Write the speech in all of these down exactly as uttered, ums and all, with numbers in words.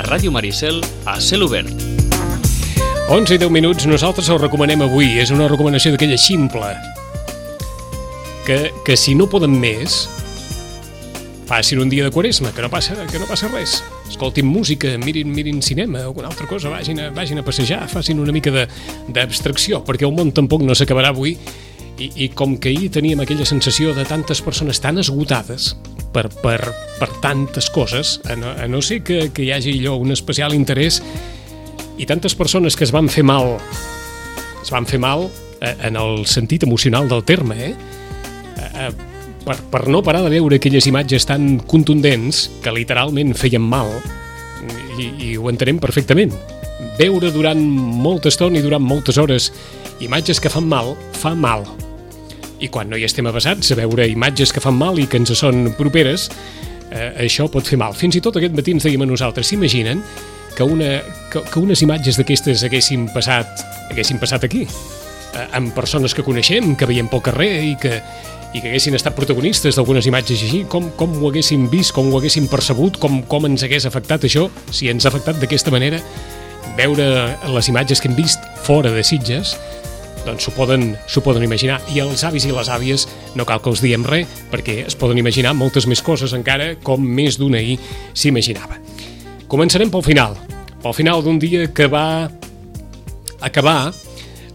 Ràdio Maricel a cel obert. onze i deu minuts, nosaltres us recomanem avui. És una recomanació d'aquella ximple. Que, que si no poden més, facin un dia de Quaresma, que no passa, que no passa res. Escoltin música, mirin, mirin cinema, alguna altra cosa, vagin a, vagin a passejar, facin una mica d'abstracció, perquè el món tampoc no s'acabarà avui. I, I com que ahir teníem aquella sensació de tantes persones tan esgotades per, per, per tantes coses, a no, a no ser que, que hi hagi allò un especial interès, i tantes persones que es van fer mal, es van fer mal eh, en el sentit emocional del terme, eh? eh per, per no parar de veure aquelles imatges tan contundents que literalment feien mal, i, i ho entenem perfectament. Veure durant molta estona i durant moltes hores imatges que fan mal, fa mal. I quan no hi estem avesats a veure imatges que fan mal i que ens són properes, eh, això pot fer mal. Fins i tot aquest matí ens dèiem a nosaltres, s'imaginen que, una, que, que unes imatges d'aquestes haguessin passat, haguessin passat aquí, eh, amb persones que coneixem, que veiem pel carrer i que, i que haguessin estat protagonistes d'algunes imatges així, com, com ho haguéssim vist, com ho haguéssim percebut, com, com ens hagués afectat això, si ens ha afectat d'aquesta manera. Veure les imatges que hem vist fora de Sitges, doncs s'ho poden, s'ho poden imaginar. I els avis i les àvies no cal que els diem res, perquè es poden imaginar moltes més coses encara, com més d'un ahir s'imaginava. Començarem pel final, pel final d'un dia que va acabar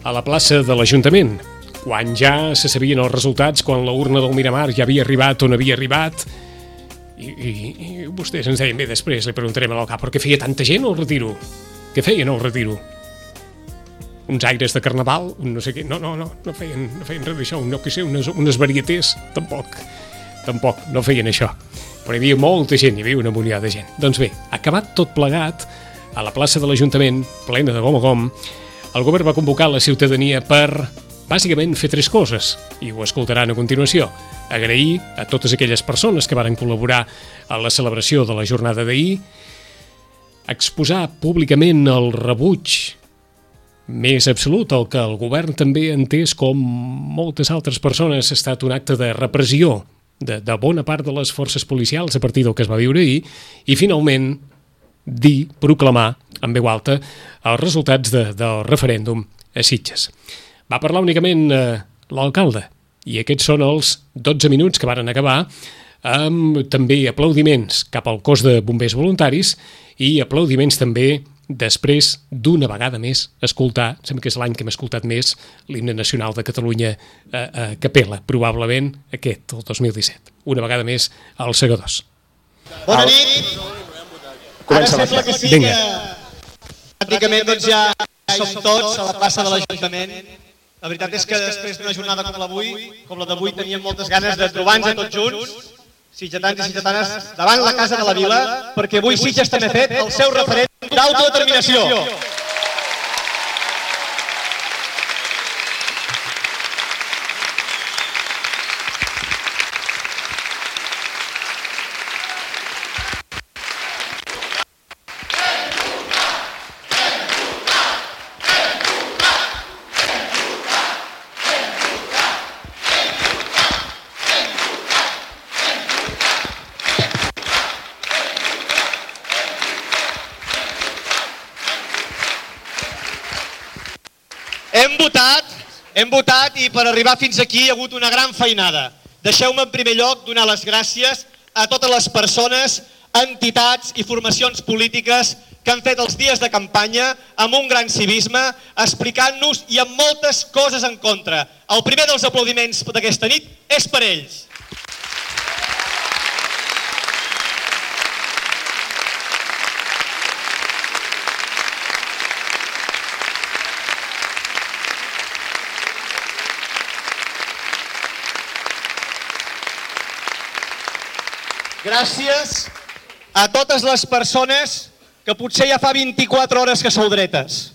a la plaça de l'Ajuntament, quan ja se sabien els resultats, quan la urna del Miramar ja havia arribat on havia arribat, i, i, i vostès ens deien, bé, després li preguntarem a l'alcalde, però què feia tanta gent al retiro? Què feien al retiro? Uns aires de carnaval, un no sé què, no, no, no, no feien, no feien res d'això, no, que sé, unes, unes varietés, tampoc, tampoc, no feien això. Però hi havia molta gent, hi havia una muniada de gent. Doncs bé, acabat tot plegat, a la plaça de l'Ajuntament, plena de gom a gom, el govern va convocar la ciutadania per, bàsicament, fer tres coses, i ho escoltaran a continuació. Agrair a totes aquelles persones que varen col·laborar a la celebració de la jornada d'ahir, exposar públicament el rebuig més absolut, el que el govern també ha entès com moltes altres persones ha estat un acte de repressió de, de bona part de les forces policials a partir del que es va viure ahir, i finalment dir, proclamar en veu alta els resultats de, del referèndum a Sitges. Va parlar únicament eh, l'alcalde, i aquests són els dotze minuts que varen acabar amb també aplaudiments cap al cos de bombers voluntaris i aplaudiments també després d'una vegada més escoltar, sembla que és l'any que hem escoltat més, l'himne nacional de Catalunya a, a capella, probablement aquest, el dos mil disset. Una vegada més als segadors. Bona nit. Ara sembla que sí que pràcticament doncs ja som tots a la plaça de l'Ajuntament. La veritat és que després d'una jornada com l'avui, com la d'avui, teníem moltes ganes de trobar-nos tots junts, sitgetans i sitgetanes, davant la Casa de la Vila, perquè avui Sitges també ha fet el seu referèndum d'autodeterminació. Hem votat, hem votat i per arribar fins aquí hi ha hagut una gran feinada. Deixeu-me en primer lloc donar les gràcies a totes les persones, entitats i formacions polítiques que han fet els dies de campanya amb un gran civisme, explicant-nos i amb moltes coses en contra. El primer dels aplaudiments d'aquesta nit és per ells. Gràcies a totes les persones que potser ja fa vint-i-quatre hores que sou dretes.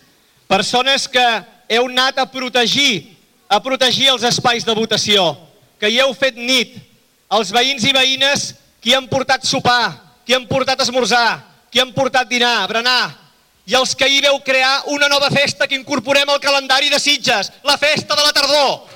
Persones que heu anat a protegir, a protegir els espais de votació, que hi heu fet nit, els veïns i veïnes que hi han portat sopar, que hi han portat esmorzar, que hi han portat dinar, berenar, i els que hi veu crear una nova festa que incorporem al calendari de Sitges, la festa de la tardor.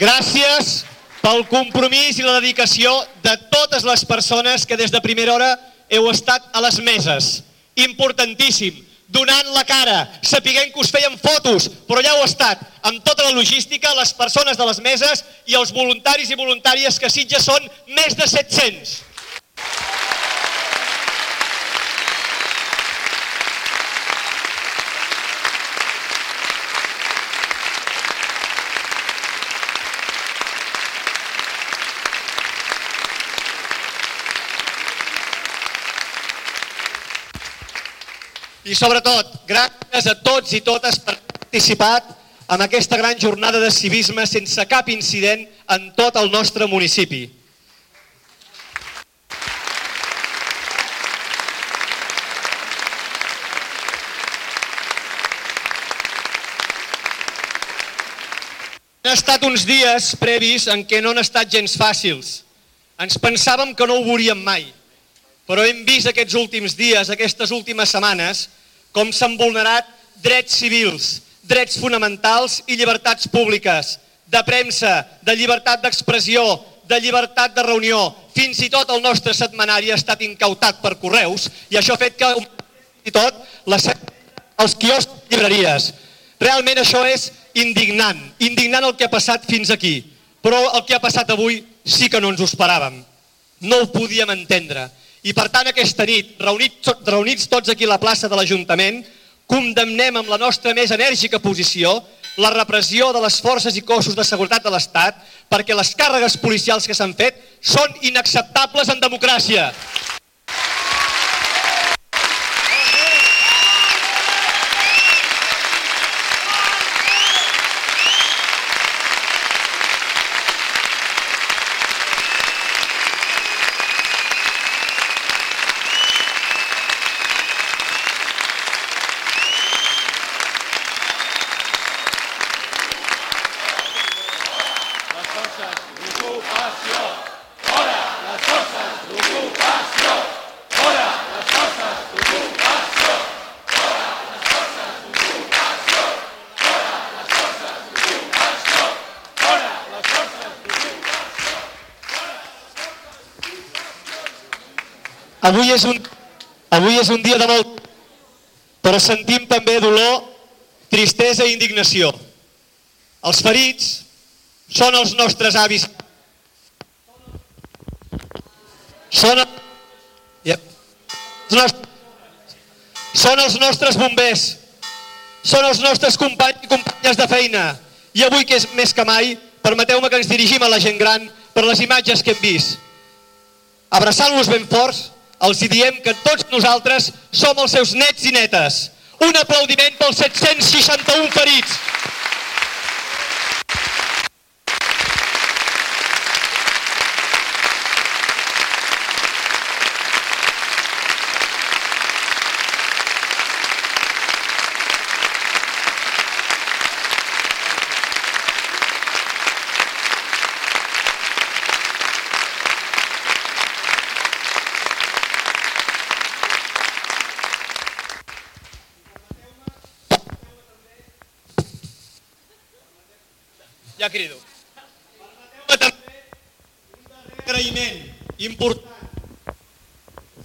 Gràcies pel compromís i la dedicació de totes les persones que des de primera hora heu estat a les meses. Importantíssim, donant la cara, sapiguent que us feien fotos, però ja heu estat amb tota la logística, les persones de les meses i els voluntaris i voluntàries que a Sitges són més de set-cents. I sobretot, gràcies a tots i totes per haver participat en aquesta gran jornada de civisme sense cap incident en tot el nostre municipi. Han estat uns dies previs en què no han estat gens fàcils. Ens pensàvem que no ho veuríem mai, però hem vist aquests últims dies, aquestes últimes setmanes, com s'han vulnerat drets civils, drets fonamentals i llibertats públiques, de premsa, de llibertat d'expressió, de llibertat de reunió. Fins i tot el nostre setmanari ha estat incautat per correus i això ha fet que fins i tot les, els quioscs i llibreries. Realment això és indignant, indignant el que ha passat fins aquí, però el que ha passat avui sí que no ens ho esperàvem, no ho podíem entendre. I per tant aquesta nit, reunits, reunits tots aquí a la plaça de l'Ajuntament, condemnem amb la nostra més enèrgica posició la repressió de les forces i cossos de seguretat de l'Estat perquè les càrregues policials que s'han fet són inacceptables en democràcia. Avui és, un, avui és un dia de molt, però sentim també dolor, tristesa i indignació. Els ferits són els nostres avis. Són, yep. els nostres, són els nostres bombers. Són els nostres companys i companyes de feina. I avui, que és més que mai, permeteu-me que ens dirigim a la gent gran per les imatges que hem vist. Abraçant-los ben forts, els hi diem que tots nosaltres som els seus nets i netes. Un aplaudiment pels set-cents seixanta-un ferits. Ja crido. Permeteu-me també un darrer agraïment important.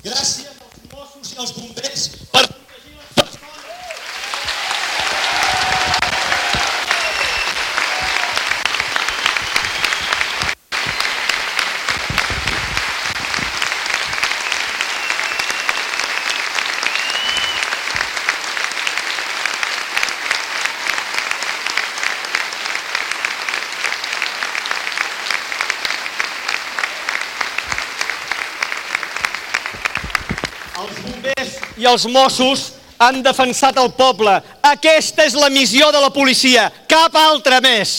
Gràcies als Mossos i als bombers per protegir les persones. Els bombers i els Mossos han defensat el poble. Aquesta és la missió de la policia, cap altra més.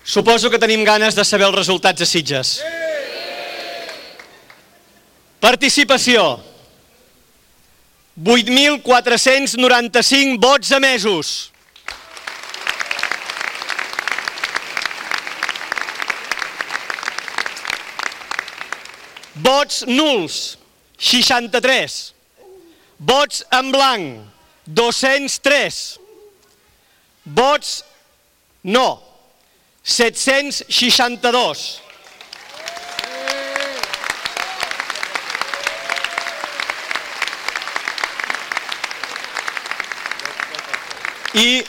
Suposo que tenim ganes de saber els resultats a Sitges. Participació. vuit mil quatre-cents noranta-cinc vots emesos. Vots nuls, seixanta-tres. Vots en blanc, dos-cents tres. Vots no, set-cents seixanta-dos. I,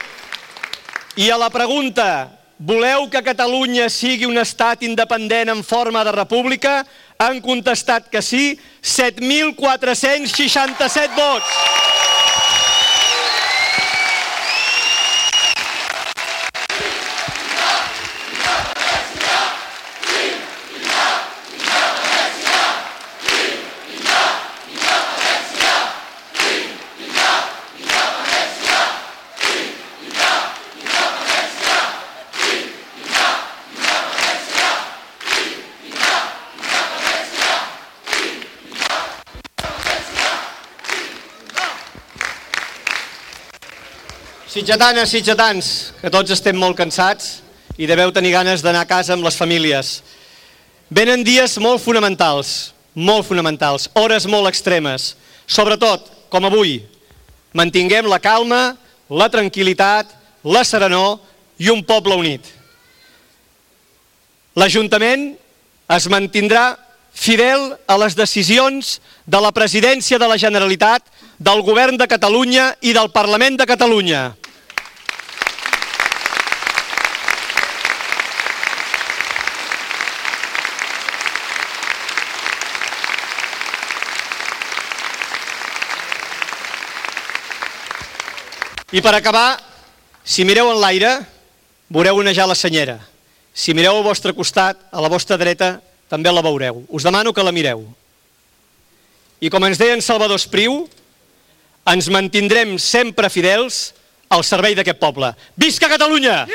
I a la pregunta, voleu que Catalunya sigui un estat independent en forma de república? Han contestat que sí, set mil quatre-cents seixanta-set vots. Sitjatanes, sitjatans, que tots estem molt cansats i deveu tenir ganes d'anar a casa amb les famílies. Venen dies molt fonamentals, molt fonamentals, hores molt extremes. Sobretot, com avui, mantinguem la calma, la tranquil·litat, la serenor i un poble unit. L'Ajuntament es mantindrà fidel a les decisions de la Presidència de la Generalitat, del Govern de Catalunya i del Parlament de Catalunya. I per acabar, si mireu en l'aire, veureu onejar la senyera. Si mireu al vostre costat, a la vostra dreta, també la veureu. Us demano que la mireu. I com ens deia en Salvador Espriu, ens mantindrem sempre fidels al servei d'aquest poble. Visca Catalunya!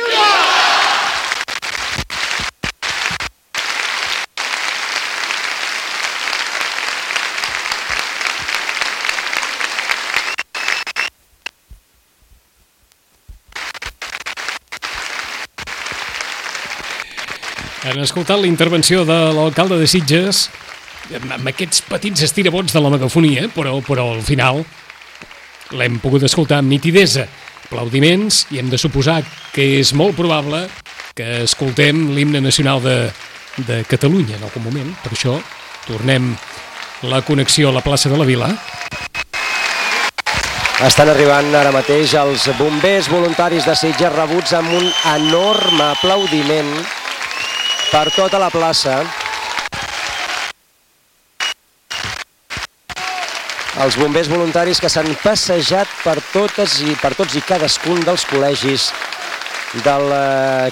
Han escoltat la intervenció de l'alcalde de Sitges amb aquests petits estirabots de la megafonia, però, però al final l'hem pogut escoltar amb nitidesa, aplaudiments, i hem de suposar que és molt probable que escoltem l'himne nacional de, de Catalunya en algun moment. Per això tornem la connexió a la plaça de la Vila. Estan arribant ara mateix els bombers voluntaris de Sitges, rebuts amb un enorme aplaudiment per tota la plaça. Els bombers voluntaris que s'han passejat per totes i per tots i cadascun dels col·legis del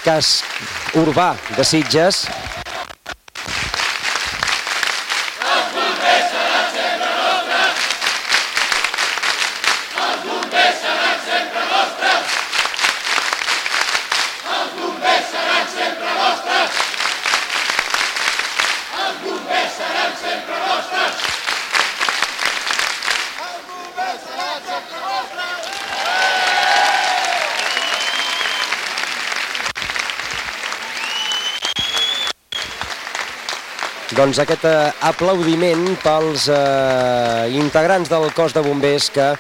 casc urbà de Sitges. Doncs aquest aplaudiment pels eh, integrants del cos de bombers que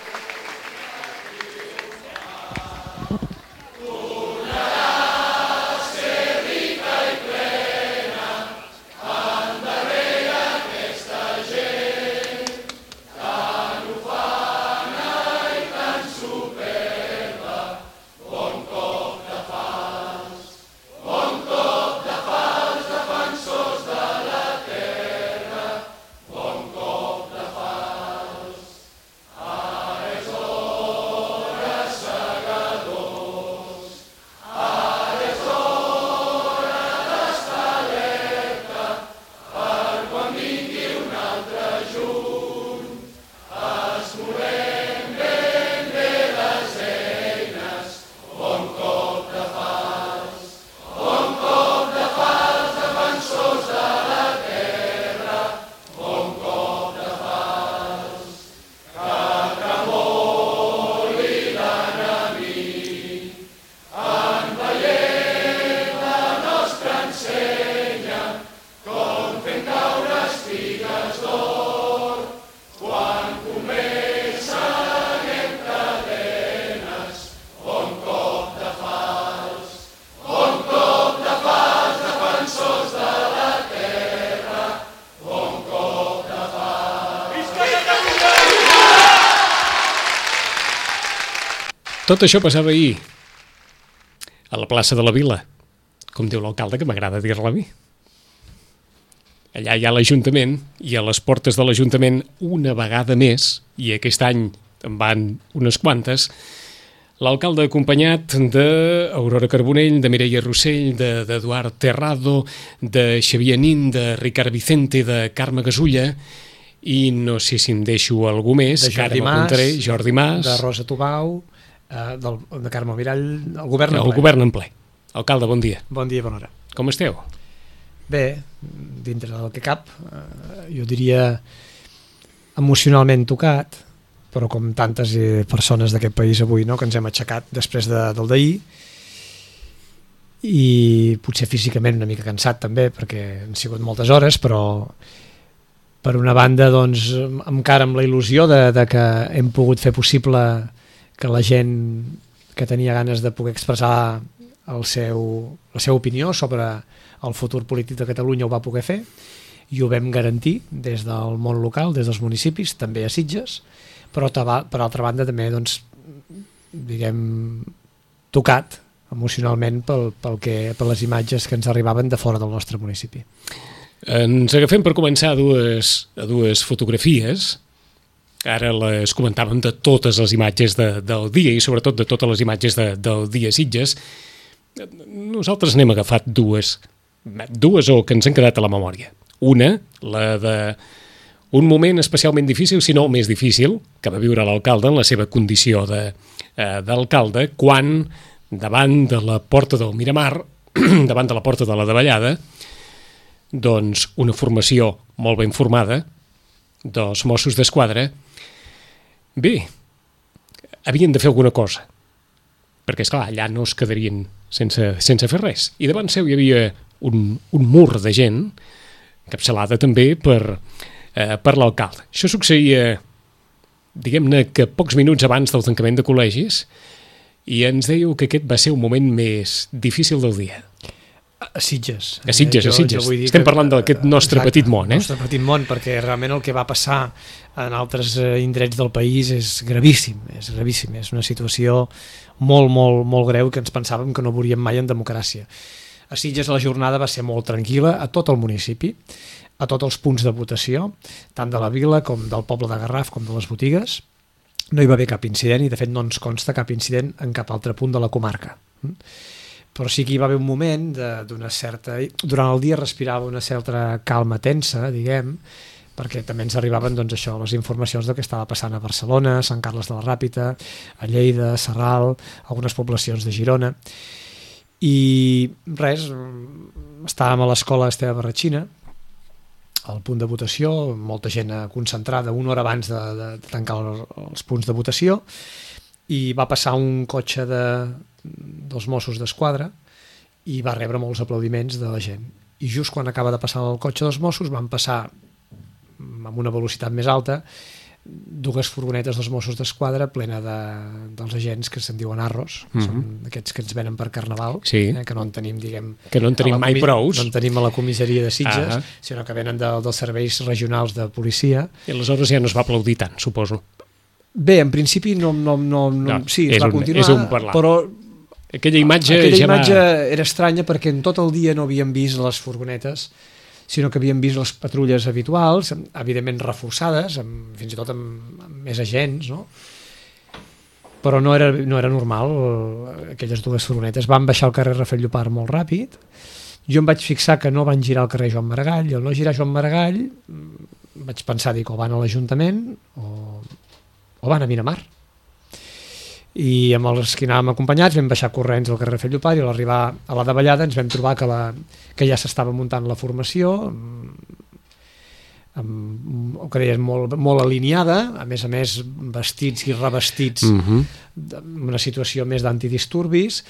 Tot això passava ahir a la plaça de la Vila, com diu l'alcalde, que m'agrada dir-la a mi. Allà hi ha l'Ajuntament, i a les portes de l'Ajuntament una vegada més, i aquest any en van unes quantes, l'alcalde acompanyat d'Aurora Carbonell, de Mireia Rossell, d'Eduard Terrado, de Xavier Nin, de Ricard Vicente, de Carme Gasulla, i no sé si em deixo algú més, de Jordi Mas, Jordi Mas, de Rosa Tubau, eh, del, de Carme Mirall, el govern en ple. El govern en ple. Alcalde, bon dia. Bon dia, bona hora. Com esteu? Bé, dintre del que cap, eh, jo diria emocionalment tocat, però com tantes persones d'aquest país avui, no?, que ens hem aixecat després de, del d'ahir, i potser físicament una mica cansat també, perquè han sigut moltes hores, però per una banda, doncs, encara amb la il·lusió de, de que hem pogut fer possible que la gent que tenia ganes de poder expressar el seu, la seva opinió sobre el futur polític de Catalunya ho va poder fer, i ho vam garantir des del món local, des dels municipis, també a Sitges, però per altra banda també, doncs, diguem, tocat emocionalment pel, pel que, per les imatges que ens arribaven de fora del nostre municipi. Ens agafem per començar a dues, a dues fotografies. Ara les comentàvem de totes les imatges de, del dia i sobretot de totes les imatges de, del dia Sitges. Nosaltres n'hem agafat dues, dues o que ens han quedat a la memòria. Una, la de un moment especialment difícil, si no el més difícil, que va viure l'alcalde en la seva condició de, eh, d'alcalde, quan davant de la porta del Miramar, davant de la porta de la Davallada, doncs una formació molt ben formada dels Mossos d'Esquadra, bé, havien de fer alguna cosa, perquè, esclar, allà no es quedarien sense, sense fer res. I davant seu hi havia un, un mur de gent, encapçalada també per, eh, per l'alcalde. Això succeïa, diguem-ne, que pocs minuts abans del tancament de col·legis, i ens dèieu que aquest va ser un moment més difícil del dia. A Sitges. A Sitges, eh? a Sitges. Jo, jo Estem que, parlant d'aquest nostre exacte, petit món, eh? El nostre petit món, perquè realment el que va passar en altres indrets del país és gravíssim, és gravíssim, és una situació molt, molt, molt greu que ens pensàvem que no veuríem mai en democràcia. A Sitges la jornada va ser molt tranquil·la a tot el municipi, a tots els punts de votació, tant de la vila com del poble de Garraf com de les botigues. No hi va haver cap incident i de fet no ens consta cap incident en cap altre punt de la comarca. Però sí que hi va haver un moment d'una certa... Durant el dia respirava una certa calma tensa, diguem, perquè també ens arribaven, doncs, això, les informacions del que estava passant a Barcelona, a Sant Carles de la Ràpita, a Lleida, a Sarral, algunes poblacions de Girona. I res, estàvem a l'escola Esteve Barratxina, al punt de votació, molta gent concentrada una hora abans de, de tancar els punts de votació, i va passar un cotxe de, dels Mossos d'Esquadra i va rebre molts aplaudiments de la gent. I just quan acaba de passar el cotxe dels Mossos van passar amb una velocitat més alta dues furgonetes dels Mossos d'Esquadra plena de, dels agents que se'n diuen arros, mm-hmm. són aquests que ens venen per Carnaval, sí. eh, que no en tenim, diguem... Que no en tenim mai prous. No en tenim a la comissaria de Sitges, ah. sinó que venen de, dels serveis regionals de policia. I aleshores ja no es va aplaudir tant, suposo. Bé, en principi no... no, no, no, no sí, es va un, continuar, és un parlar. Però... Aquella imatge, aquella ja imatge va... era estranya perquè en tot el dia no havíem vist les furgonetes, sinó que havíem vist les patrulles habituals, evidentment reforçades, amb, fins i tot amb, amb més agents, no? Però no era, no era normal, aquelles dues furgonetes. Van baixar al carrer Rafael Llopart molt ràpid, jo em vaig fixar que no van girar al carrer Joan Maragall, i al no girar Joan Maragall vaig pensar, dic, o van a l'Ajuntament o, o van a Miramar. I amb els que anàvem acompanyats vam baixar corrents al carrer Rafael Llopart i a l'arribar a la davallada ens vam trobar que, la, que ja s'estava muntant la formació, amb, o que deies, molt, molt alineada, a més a més vestits i revestits, uh-huh. en una situació més d'antidisturbis.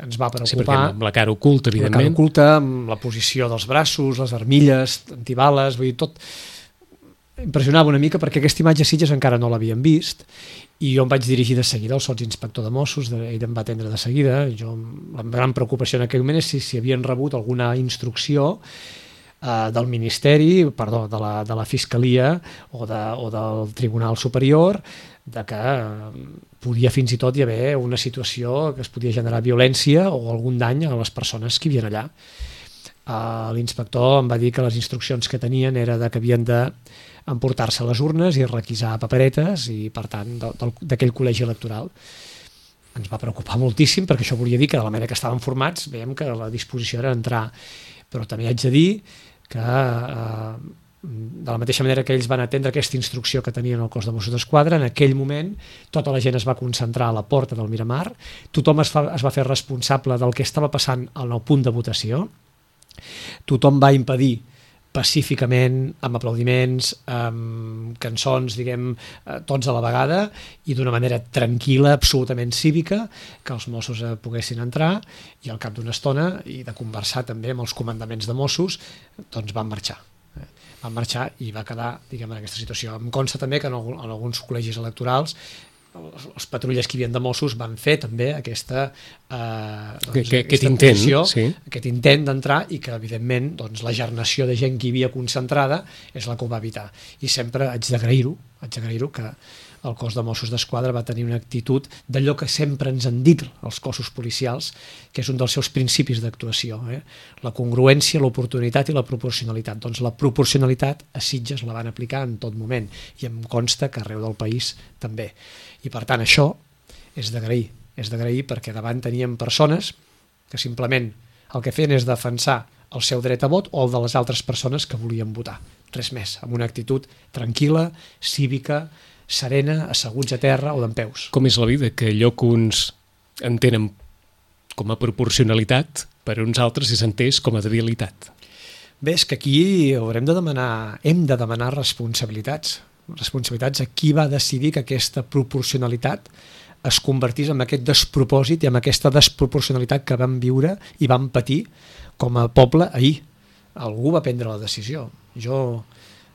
Ens va preocupar... Sí, amb la cara oculta, evidentment. La cara oculta, amb la posició dels braços, les armilles, antibales, vull dir, tot... Impressionava una mica perquè aquesta imatge a Sitges encara no l'havíem vist i jo em vaig dirigir de seguida al sotsinspector de Mossos, ell em va atendre de seguida. Jo, la gran preocupació en aquell moment és si, si havien rebut alguna instrucció eh, del Ministeri, perdó, de la, de la Fiscalia o, de, o del Tribunal Superior, de que eh, podia fins i tot hi haver una situació que es podia generar violència o algun dany a les persones que hi havia allà. Uh, l'inspector em va dir que les instruccions que tenien era de que havien d'emportar-se les urnes i requisar paperetes i, per tant, d'aquell col·legi electoral. Ens va preocupar moltíssim perquè això volia dir que de la manera que estaven formats veiem que la disposició era entrar, però també haig de dir que uh, de la mateixa manera que ells van atendre aquesta instrucció que tenien al cos de Mossos d'Esquadra, en aquell moment tota la gent es va concentrar a la porta del Miramar, tothom es, fa, es va fer responsable del que estava passant al punt de votació, tothom va impedir pacíficament, amb aplaudiments, amb cançons, diguem, tots a la vegada i d'una manera tranquil·la, absolutament cívica, que els Mossos poguessin entrar i al cap d'una estona, i de conversar també amb els comandaments de Mossos, doncs van marxar. Van marxar i va quedar, diguem, en aquesta situació. Em consta també que en, algun, en alguns col·legis electorals els, els patrulles que hi havia de Mossos van fer també aquesta, eh, doncs, que, que, aquesta aquest intent, posició, sí. aquest intent d'entrar i que, evidentment, doncs, la gernació de gent que hi havia concentrada és la que ho va evitar. I sempre haig d'agrair-ho, haig d'agrair-ho que el cos de Mossos d'Esquadra va tenir una actitud d'allò que sempre ens han dit els cossos policials, que és un dels seus principis d'actuació, eh? La congruència, l'oportunitat i la proporcionalitat. Doncs la proporcionalitat a Sitges la van aplicar en tot moment i em consta que arreu del país també. I per tant això és d'agrair, és d'agrair perquè davant teníem persones que simplement el que feien és defensar el seu dret a vot o el de les altres persones que volien votar. Res més, amb una actitud tranquil·la, cívica, serena, asseguts a terra o dempeus. Com és la vida, que allò que uns entenen com a proporcionalitat, per uns altres és entès com a debilitat. Bé, és que aquí haurem de demanar, hem de demanar responsabilitats. Responsabilitats a qui va decidir que aquesta proporcionalitat es convertís en aquest despropòsit i en aquesta desproporcionalitat que vam viure i vam patir com a poble ahir. Algú va prendre la decisió. Jo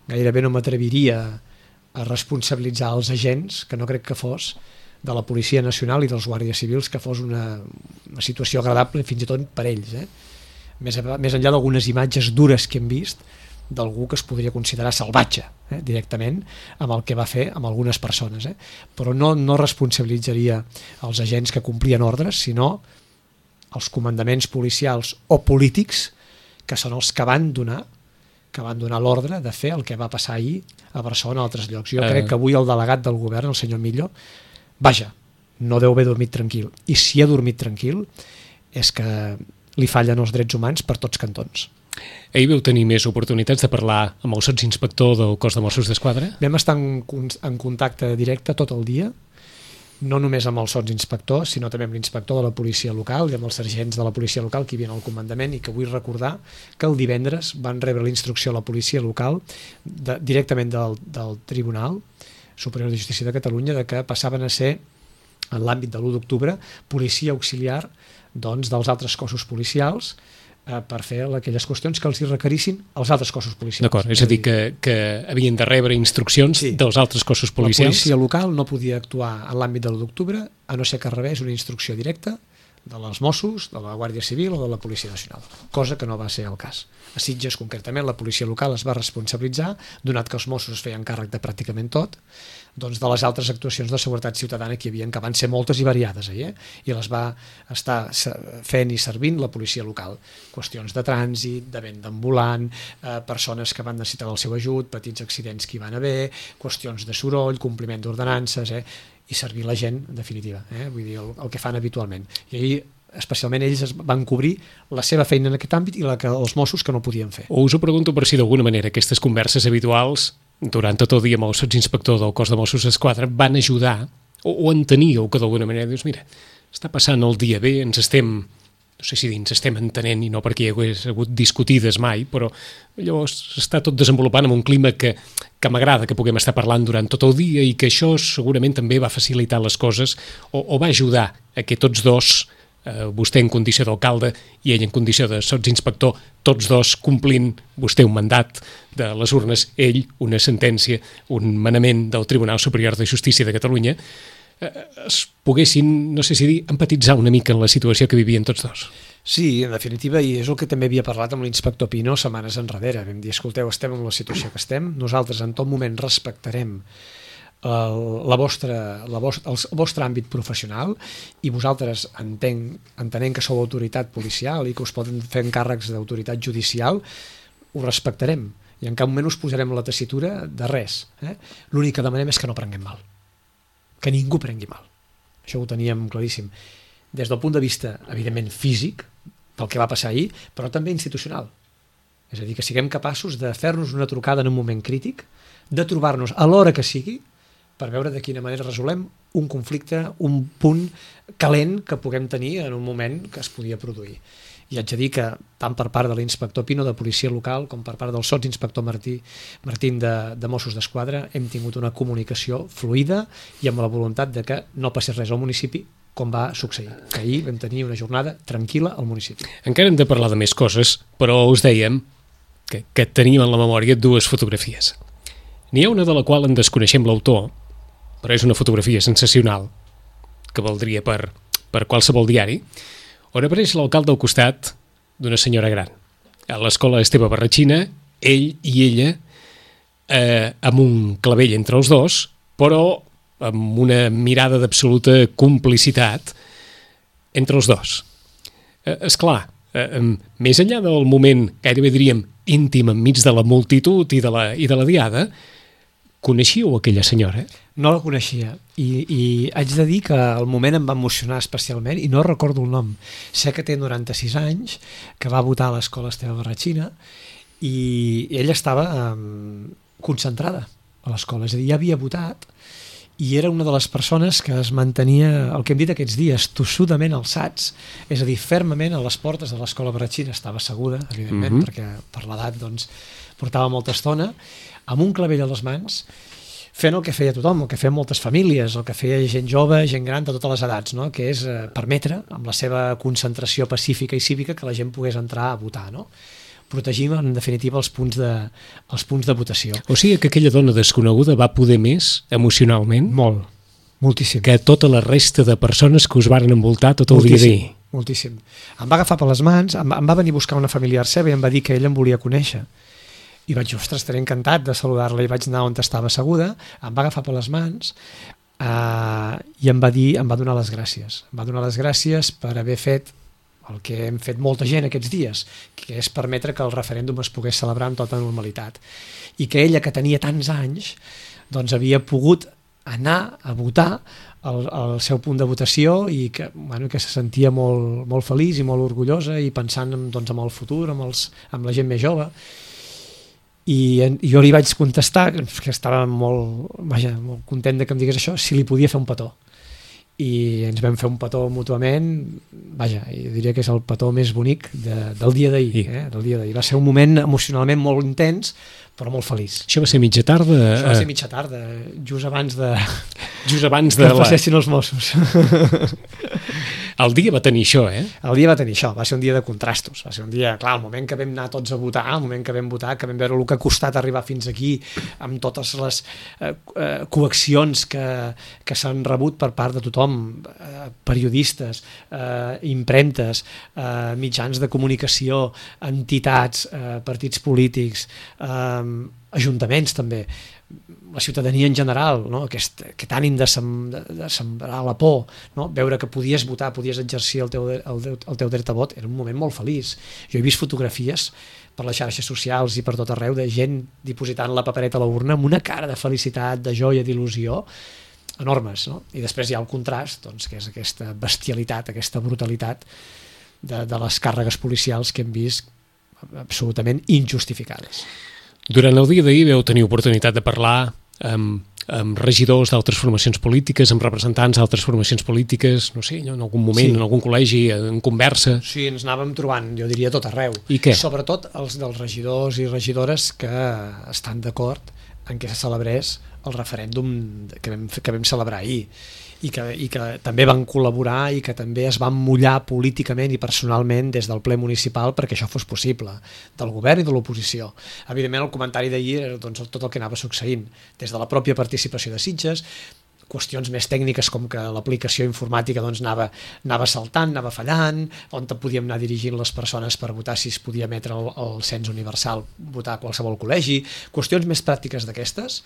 gairebé no m'atreviria a responsabilitzar els agents, que no crec que fos, de la Policia Nacional i dels Guàrdies Civils, que fos una, una situació agradable fins i tot per ells. Eh? Més, més enllà d'algunes imatges dures que hem vist d'algú que es podria considerar salvatge, eh? directament, amb el que va fer amb algunes persones. Eh? Però no, no responsabilitzaria els agents que complien ordres, sinó els comandaments policials o polítics que són els que van donar que van donar l'ordre de fer el que va passar ahir a Barcelona o altres llocs. Jo uh... crec que avui el delegat del govern, el senyor Millo, vaja, no deu haver dormit tranquil. I si ha dormit tranquil és que li fallen els drets humans per tots cantons. Ahir veu tenir més oportunitats de parlar amb el sotsinspector del cos de Mossos d'Esquadra? Vam estar en, en contacte directe tot el dia, no només amb el sotsinspector, sinó també amb l'inspector de la policia local i amb els sergents de la policia local que hi havia al comandament, i que vull recordar que el divendres van rebre la instrucció a la policia local de, directament del, del Tribunal Superior de Justícia de Catalunya de que passaven a ser, en l'àmbit de l'u d'octubre, policia auxiliar doncs, dels altres cossos policials eh, per fer aquelles qüestions que els hi requerissin els altres cossos policials. D'acord, és a dir, que, que havien de rebre instruccions sí. dels altres cossos policials. La policia local no podia actuar en l'àmbit de l'u d'octubre a no ser que rebés una instrucció directa de les Mossos, de la Guàrdia Civil o de la Policia Nacional, cosa que no va ser el cas. A Sitges, concretament, la policia local es va responsabilitzar, donat que els Mossos es feien càrrec de pràcticament tot, doncs de les altres actuacions de seguretat ciutadana que hi havia, que van ser moltes i variades, eh? I les va estar fent i servint la policia local. Qüestions de trànsit, de venda ambulant, eh, persones que van necessitar el seu ajut, petits accidents que hi van haver, qüestions de soroll, compliment d'ordenances, eh? i servir la gent, en definitiva, eh? Vull dir, el, el que fan habitualment. I ahir, especialment, ells es van cobrir la seva feina en aquest àmbit i la que els Mossos que no podien fer. O us ho pregunto per si d'alguna manera aquestes converses habituals durant tot el dia amb el sotsinspector del cos de Mossos d'Esquadra van ajudar o, o enteníeu que d'alguna manera dius, mira, està passant el dia bé, ens estem, no sé si ens estem entenent i no perquè hi hagués hagut discutides mai, però llavors està tot desenvolupant en un clima que, que m'agrada que puguem estar parlant durant tot el dia i que això segurament també va facilitar les coses o, o va ajudar a que tots dos, eh, vostè en condició d'alcalde i ell en condició de sotsinspector, tots dos complint vostè un mandat de les urnes, ell una sentència, un manament del Tribunal Superior de Justícia de Catalunya, es poguessin, no sé si dir, empatitzar una mica en la situació que vivien tots dos. Sí, en definitiva, i és el que també havia parlat amb l'inspector Pino setmanes enrere. Vam dir, escolteu, estem en la situació que estem, nosaltres en tot moment respectarem el, la vostra, la vostra, el vostre àmbit professional i vosaltres entenc, entenent que sou autoritat policial i que us poden fer encàrrecs d'autoritat judicial, ho respectarem i en cap moment us posarem la tessitura de res. Eh? L'únic que demanem és que no prenguem mal, que ningú prengui mal. Això ho teníem claríssim. Des del punt de vista, evidentment, físic, pel que va passar ahir, però també institucional. És a dir, que siguem capaços de fer-nos una trucada en un moment crític, de trobar-nos a l'hora que sigui, per veure de quina manera resolem un conflicte, un punt calent que puguem tenir en un moment que es podia produir. I haig de dir que tant per part de l'inspector Pino de policia local com per part del sotsinspector Martí, Martín de, de Mossos d'Esquadra hem tingut una comunicació fluida i amb la voluntat de que no passés res al municipi com va succeir, que ahir vam tenir una jornada tranquil·la al municipi. Encara hem de parlar de més coses, però us dèiem que, que tenim en la memòria dues fotografies. N'hi ha una de la qual en desconeixem l'autor, però és una fotografia sensacional, que valdria per, per qualsevol diari, on apareix l'alcalde al costat d'una senyora gran. A l'escola Esteve Barratxina, ell i ella, eh, amb un clavell entre els dos, però amb una mirada d'absoluta complicitat entre els dos. Eh, esclar, eh, més enllà del moment, gairebé diríem, íntim enmig de la multitud i de la, i de la diada, coneixíeu aquella senyora? No la coneixia i, i haig de dir que al moment em va emocionar especialment i no recordo el nom. Sé que té noranta-sis anys, que va votar a l'escola Esteve Barratxina i ella estava um, concentrada a l'escola, és a dir, ja havia votat i era una de les persones que es mantenia, el que hem dit aquests dies, tossudament alçats, és a dir, fermament a les portes de l'escola Barratxina, estava asseguda, evidentment, mm-hmm. perquè per l'edat doncs, portava molta estona, amb un clavell a les mans, fent el que feia tothom, el que feien moltes famílies, el que feia gent jove, gent gran de totes les edats, no? Que és eh, permetre, amb la seva concentració pacífica i cívica, que la gent pogués entrar a votar, no? Protegim, en definitiva, els punts de, els punts de votació. O sigui que aquella dona desconeguda va poder més emocionalment? Molt, moltíssim. Que tota la resta de persones que us varen envoltar tot el moltíssim, dia d'ahir? Moltíssim. Em va agafar per les mans, em, em va venir a buscar una familiar seva i em va dir que ella em volia conèixer. I vaig, ostres, estaré encantat de saludar-la, i vaig anar on estava asseguda, em va agafar per les mans eh, i em va dir, em va donar les gràcies. Em va donar les gràcies per haver fet el que hem fet molta gent aquests dies, que és permetre que el referèndum es pogués celebrar amb tota normalitat. I que ella, que tenia tants anys, doncs havia pogut anar a votar al, al seu punt de votació i que, bueno, que se sentia molt, molt feliç i molt orgullosa i pensant en, doncs, en el futur, amb, els, amb la gent més jove. I jo li vaig contestar, que estava molt, vaja, molt content de que em digués això, si li podia fer un petó. I ens vam fer un petó mútuament, vaja, jo diria que és el petó més bonic de, del dia d'ahir. Eh? Del dia d'ahir. Va ser un moment emocionalment molt intens, però molt feliç. Això va ser mitja tarda? Això va ser mitja tarda, just abans de... Just abans de... que la... passessin els Mossos. El dia va tenir això, eh? El dia va tenir això, va ser un dia de contrastos, va ser un dia, clar, el moment que vam anar tots a votar, el moment que vam votar, que vam veure el que ha costat arribar fins aquí, amb totes les eh, eh, coaccions que, que s'han rebut per part de tothom, eh, periodistes, eh, impremtes, eh, mitjans de comunicació, entitats, eh, partits polítics, eh, ajuntaments també, la ciutadania en general, no? Aquest, aquest ànim de, sem, de, de sembrar la por, no? Veure que podies votar, podies exercir el teu, el, el teu dret a vot, era un moment molt feliç. Jo he vist fotografies per les xarxes socials i per tot arreu de gent dipositant la papereta a la urna amb una cara de felicitat, de joia, d'il·lusió, enormes, no? I després hi ha el contrast, doncs, que és aquesta bestialitat, aquesta brutalitat de, de les càrregues policials que hem vist absolutament injustificades. Durant el dia d'ahir vau tenir oportunitat de parlar amb, amb regidors d'altres formacions polítiques, amb representants d'altres formacions polítiques, no sé, en algun moment, sí. En algun col·legi, en conversa... Sí, ens anàvem trobant, jo diria, tot arreu. I què? Sobretot els dels regidors i regidores que estan d'acord en què se celebrés el referèndum que vam, que vam celebrar ahir. I que, i que també van col·laborar i que també es van mullar políticament i personalment des del ple municipal perquè això fos possible, del govern i de l'oposició. Evidentment el comentari d'ahir era doncs, tot el que anava succeint, des de la pròpia participació de Sitges, qüestions més tècniques com que l'aplicació informàtica doncs, anava, anava saltant, anava fallant, on podíem anar dirigint les persones per votar si es podia emetre el, el cens universal, votar a qualsevol col·legi, qüestions més pràctiques d'aquestes,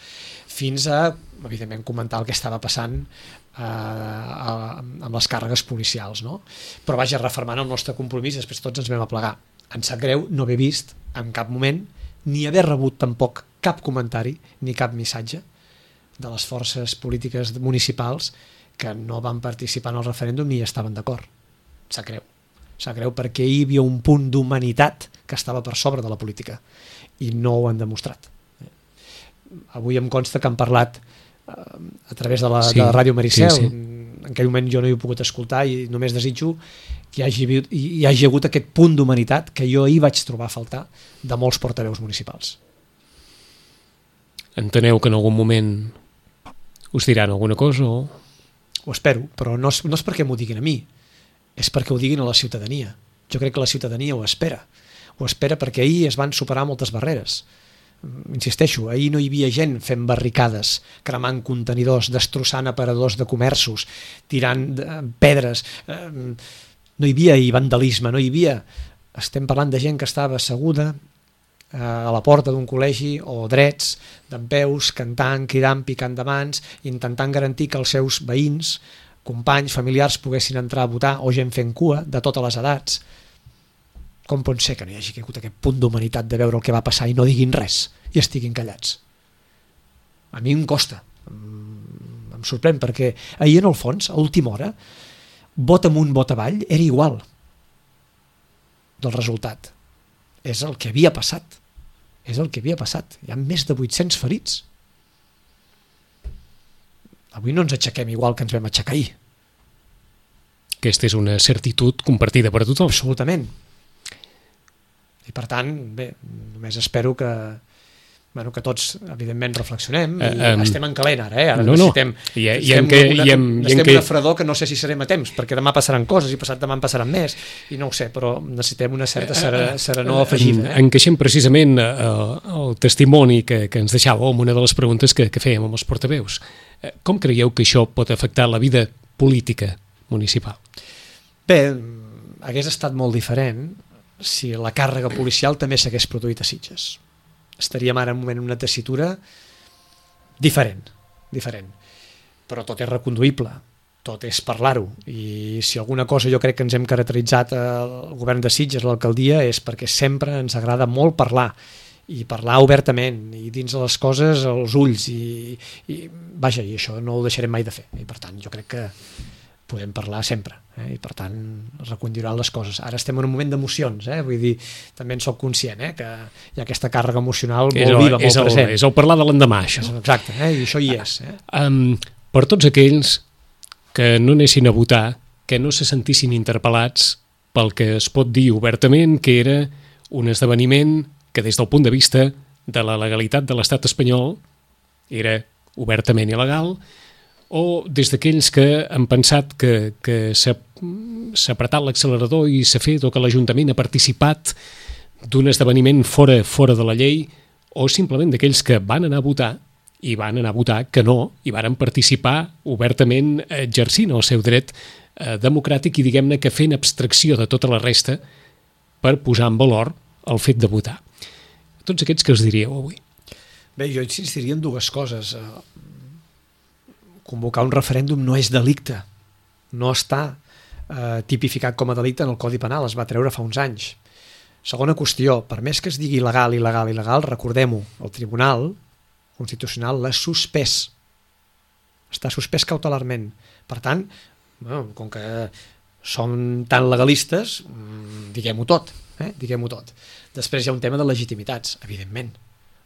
fins a, evidentment, comentar el que estava passant eh, amb les càrregues policials. No? Però vaja, refermant el nostre compromís, després tots ens vam aplegar. Em sap greu no haver vist en cap moment ni haver rebut tampoc cap comentari ni cap missatge de les forces polítiques municipals que no van participar en el referèndum ni hi estaven d'acord. Sap greu. Sap greu perquè hi havia un punt d'humanitat que estava per sobre de la política i no ho han demostrat. Avui em consta que han parlat eh, a través de la, sí, de la Ràdio Maricel. Sí, sí. En aquell moment jo no hi he pogut escoltar i només desitjo que hi hagi, hi hagi hagut aquest punt d'humanitat que jo ahir vaig trobar a faltar de molts portaveus municipals. Enteneu que en algun moment us diran alguna cosa o...? Ho espero, però no és, no és perquè m'ho diguin a mi, és perquè ho diguin a la ciutadania. Jo crec que la ciutadania ho espera. Ho espera perquè ahir es van superar moltes barreres. Insisteixo, ahir no hi havia gent fent barricades, cremant contenidors, destrossant aparadors de comerços, tirant pedres. No hi havia ahir vandalisme, no hi havia... Estem parlant de gent que estava asseguda a la porta d'un col·legi o drets, dempeus, cantant, cridant, picant de mans, intentant garantir que els seus veïns, companys, familiars poguessin entrar a votar o gent fent cua de totes les edats. Com pot ser que no hi hagi hagut aquest punt d'humanitat de veure el que va passar i no diguin res i estiguin callats? A mi em costa, em sorprèn, perquè ahir en el fons, a última hora, vot amunt, vot avall, era igual del resultat. És el que havia passat. És el que havia passat. Hi ha més de vuit-cents ferits. Avui no ens aixequem igual que ens vam aixecar ahir. Aquesta és una certitud compartida per tothom. Absolutament. I per tant, bé, només espero que, bueno, que tots, evidentment, reflexionem i uh, um, estem en calent ara, eh? Ara no, necessitem, no. I, i necessitem, que, una, i en, necessitem que... una fredor que no sé si serem a temps, perquè demà passaran coses i passat demà en passaran més, i no ho sé, però necessitem una certa serenor afegida. Eh? Encaixem precisament el, el testimoni que, que ens deixàveu amb una de les preguntes que, que fèiem amb els portaveus. Com creieu que això pot afectar la vida política municipal? Bé, hagués estat molt diferent si la càrrega policial també s'hagués produït a Sitges. Estaríem ara en un moment en una tessitura diferent, diferent. Però tot és reconduïble, tot és parlar-ho. I si alguna cosa jo crec que ens hem caracteritzat al govern de Sitges, l'alcaldia, és perquè sempre ens agrada molt parlar, i parlar obertament, i dins de les coses als ulls, i, i vaja, i això no ho deixarem mai de fer. I per tant, jo crec que podem parlar sempre, eh? I per tant reconduiran les coses. Ara estem en un moment d'emocions, eh? Vull dir, també en soc conscient, eh? Que hi ha aquesta càrrega emocional molt el, viva, molt és el, present. És el parlar de l'endemà, això. Exacte, eh? I això hi és. Eh? Um, per tots aquells que no anessin a votar, que no se sentissin interpel·lats pel que es pot dir obertament que era un esdeveniment que des del punt de vista de la legalitat de l'estat espanyol era obertament il·legal, o des d'aquells que han pensat que, que s'ha apretat l'accelerador i s'ha fet o que l'Ajuntament ha participat d'un esdeveniment fora, fora de la llei, o simplement d'aquells que van anar a votar i van anar a votar que no, i van participar obertament exercint el seu dret eh, democràtic i diguem-ne que fent abstracció de tota la resta per posar en valor el fet de votar. A tots aquests que us diríeu avui? Bé, jo insistiria en dues coses. Convocar un referèndum no és delicte, no està eh, tipificat com a delicte en el Codi Penal, es va treure fa uns anys. Segona qüestió, per més que es digui il·legal, il·legal, il·legal, recordem-ho, el Tribunal Constitucional l'ha suspès, està suspès cautelarment. Per tant, bueno, com que som tan legalistes, diguem-ho tot, eh? diguem-ho tot. Després hi ha un tema de legitimitats, evidentment.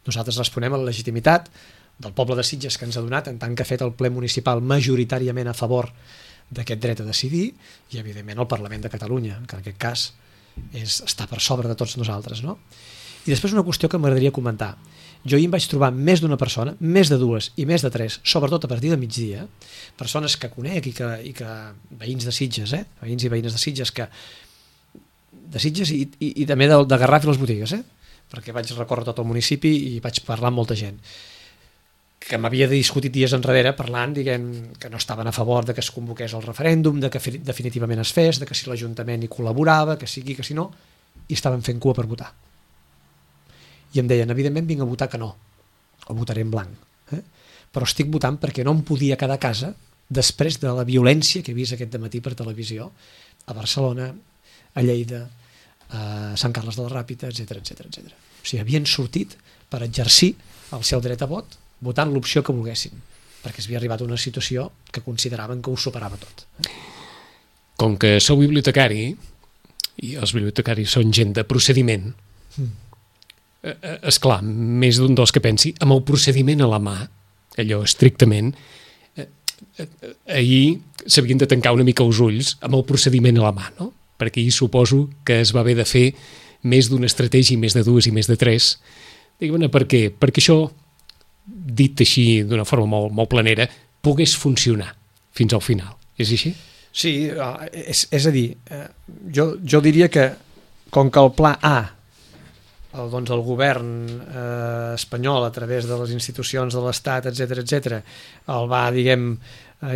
Nosaltres responem a la legitimitat del poble de Sitges que ens ha donat en tant que ha fet el ple municipal majoritàriament a favor d'aquest dret a decidir i evidentment el Parlament de Catalunya, que en aquest cas és, està per sobre de tots nosaltres. No? I després una qüestió que m'agradaria comentar. Jo ahir em vaig trobar més d'una persona, més de dues i més de tres, sobretot a partir de migdia, persones que conec i que, i que veïns de Sitges, eh? veïns i veïnes de Sitges, que, de Sitges i, i, i també de, de Garraf i les botigues, eh? perquè vaig recórrer tot el municipi i vaig parlar amb molta gent, que m'havia discutit dies enrere parlant, diguem, que no estaven a favor de que es convoqués el referèndum, de que definitivament es fes, de que si l'Ajuntament hi col·laborava, que sigui, que si no, i estaven fent cua per votar. I em deien, evidentment vinc a votar que no, o votaré en blanc, eh? Però estic votant perquè no em podia quedar a casa després de la violència que he vist aquest dematí per televisió a Barcelona, a Lleida, a Sant Carles de la Ràpita, etcètera, etcètera, etcètera. O sigui, havien sortit per exercir el seu dret a vot votant l'opció que volguessin, perquè s'havia arribat a una situació que consideraven que ho superava tot. Com que sou bibliotecari, i els bibliotecaris són gent de procediment, mm. esclar, més d'un dels que pensi, amb el procediment a la mà, allò estrictament, ahir s'havien de tancar una mica els ulls amb el procediment a la mà, no? Perquè ahir suposo que es va haver de fer més d'una estratègia, més de dues i més de tres. Diguem-ne, per què? Perquè això, dit així d'una forma molt, molt planera, pogués funcionar fins al final. És així? Sí, és, és a dir, jo, jo diria que com que el pla A, el, doncs el govern eh, espanyol a través de les institucions de l'Estat, etcètera, etcètera, el va, diguem,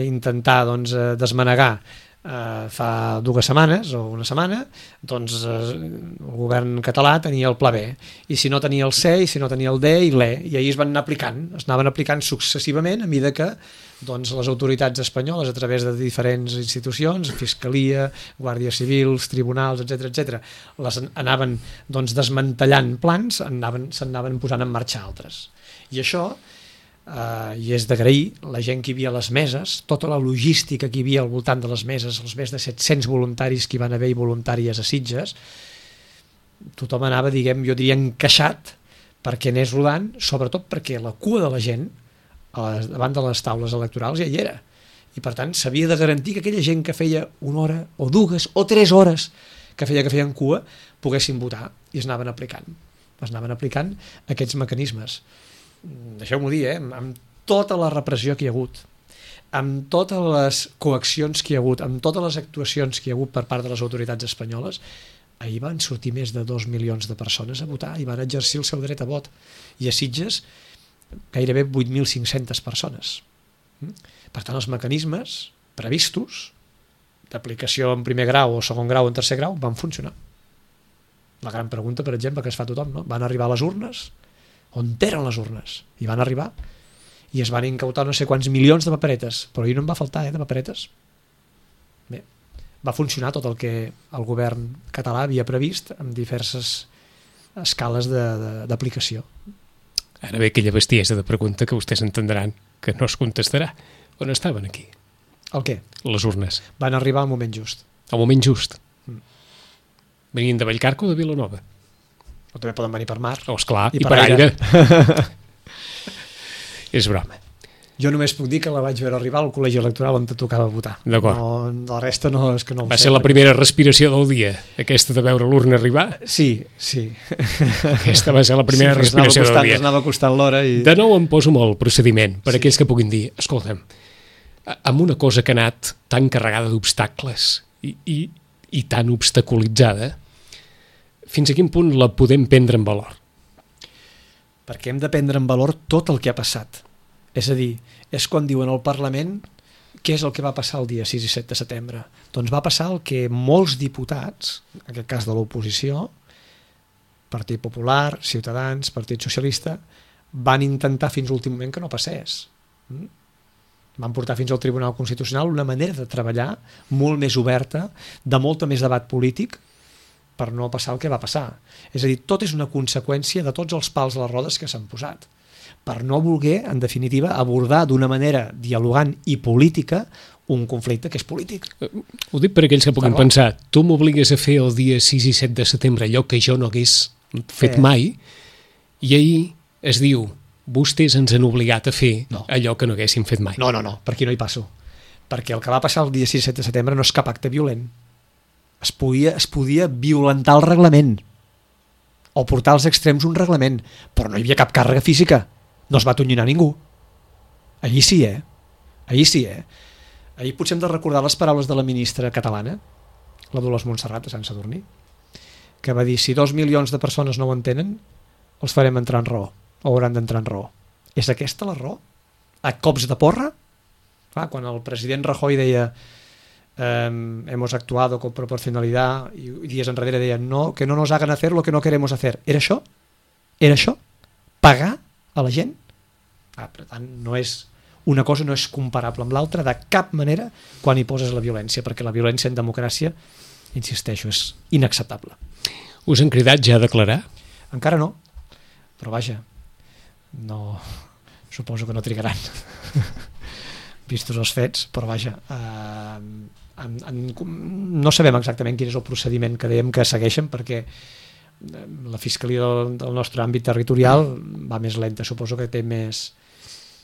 intentar doncs, desmanegar eh, fa dues setmanes o una setmana, doncs eh, el govern català tenia el pla B, i si no tenia el C, i si no tenia el D i l'E, i ahir es van anar aplicant, es anaven aplicant successivament a mesura que doncs, les autoritats espanyoles, a través de diferents institucions, Fiscalia, Guàrdia Civils, tribunals, etcètera, etcètera, les anaven doncs, desmantellant plans, s'anaven posant en marxa altres. I això, eh, i és d'agrair, la gent que hi havia a les meses, tota la logística que hi havia al voltant de les meses, els més de set-cents voluntaris que hi van haver i voluntàries a Sitges, tothom anava, diguem, jo diria, encaixat perquè anés rodant, sobretot perquè la cua de la gent a les, davant de les taules electorals ja hi era, i per tant s'havia de garantir que aquella gent que feia una hora o dues o tres hores que feia que feien cua poguessin votar, i es anaven aplicant es anaven aplicant aquests mecanismes. Deixeu-m'ho dir, eh? Amb tota la repressió que hi ha hagut, amb totes les coaccions que hi ha hagut, amb totes les actuacions que hi ha hagut per part de les autoritats espanyoles, ahir van sortir més de dos milions de persones a votar i van exercir el seu dret a vot, i a Sitges gairebé vuit mil cinc-centes persones. Per tant, els mecanismes previstos d'aplicació en primer grau o segon grau o en tercer grau van funcionar. La gran pregunta, per exemple, que es fa tothom, no? Van arribar a les urnes? On eren les urnes? I van arribar i es van incautar no sé quants milions de paperetes, però ahir no en va faltar, eh, de paperetes. Bé, va funcionar tot el que el govern català havia previst amb diverses escales d'aplicació. Ara ve aquella bestiesa de pregunta que vostès entendran que no es contestarà. On estaven aquí? El què? Les urnes. Van arribar al moment just. Al moment just. Mm. Venien de Vallcarca o de Vilanova? O també poden venir per mar. Oh, esclar, i, i per, per aire. aire. És broma. Jo només puc dir que la vaig veure arribar al col·legi electoral on te tocava votar. D'acord. No, la resta no és que no ho Va sé. ser la primera respiració del dia, aquesta de veure l'urna arribar? Sí, sí. Aquesta va ser la primera sí, respiració costant, del dia. Ens anava costant l'hora i... De nou em poso molt el procediment, per sí. aquells que puguin dir, escolta'm, amb una cosa que ha anat tan carregada d'obstacles i, i, i tan obstaculitzada, fins a quin punt la podem prendre en valor? Perquè hem de prendre en valor tot el que ha passat. És a dir, és quan diuen al Parlament què és el que va passar el dia sis i set de setembre. Doncs va passar el que molts diputats, en aquest cas de l'oposició, Partit Popular, Ciutadans, Partit Socialista, van intentar fins a l'últim moment que no passés. Van portar fins al Tribunal Constitucional una manera de treballar molt més oberta, de molta més debat polític, per no passar el que va passar. És a dir, tot és una conseqüència de tots els pals a les rodes que s'han posat, per no voler, en definitiva, abordar d'una manera dialogant i política un conflicte que és polític. Ho dic per aquells que puguin pensar, tu m'obligues a fer el dia sis i set de setembre allò que jo no hagués fet eh. mai, i ahir es diu, vostès ens han obligat a fer no. allò que no haguéssim fet mai. No, no, no, per aquí no hi passo. Perquè el que va passar el dia sis i set de setembre no és cap acte violent. Es podia, es podia violentar el reglament o portar als extrems un reglament, però no hi havia cap càrrega física. No es va atonyinar ningú. Ahir sí, eh? Ahir sí, eh? Ahir potser hem de recordar les paraules de la ministra catalana, la Dolors Montserrat de Sant Sadurní, que va dir, si dos milions de persones no ho entenen, els farem entrar en raó, o hauran d'entrar en raó. És aquesta la raó? a cops de porra. Clar, quan el president Rajoy deia eh, hemos actuado con proporcionalidad i dies enrere deia no, que no nos hagan hacer lo que no queremos hacer. Era això? Era això? Pagar a la gent? Ah, per tant, no és una cosa no és comparable amb l'altra de cap manera quan hi poses la violència, perquè la violència en democràcia, insisteixo, és inacceptable. Us han cridat ja a declarar? Encara no, però vaja, no, suposo que no trigaran vistos els fets, però vaja, eh, en, en, no sabem exactament quin és el procediment que dèiem que segueixen, perquè la Fiscalia del, del nostre àmbit territorial va més lenta, suposo que té més,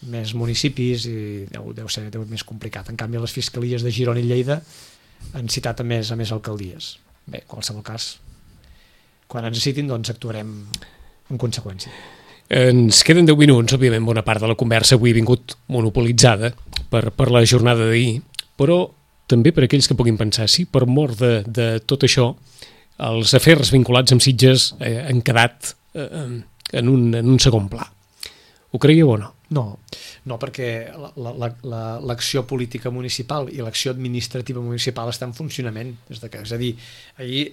més municipis i deu, deu ser deu més complicat. En canvi, les fiscalies de Girona i Lleida han citat a més, a més alcaldies. Bé, en qualsevol cas, quan ens citin, doncs actuarem en conseqüència. Ens queden deu minuts, òbviament bona part de la conversa avui ha vingut monopolitzada per, per la jornada d'ahir, però també per aquells que puguin pensar, sí, per mort de, de tot això, els afers vinculats amb Sitges eh, han quedat eh, en, un, en un segon pla. Ho creieu o no? No, no perquè l'acció política municipal i l'acció administrativa municipal està en funcionament. Des de que, és a dir, ahir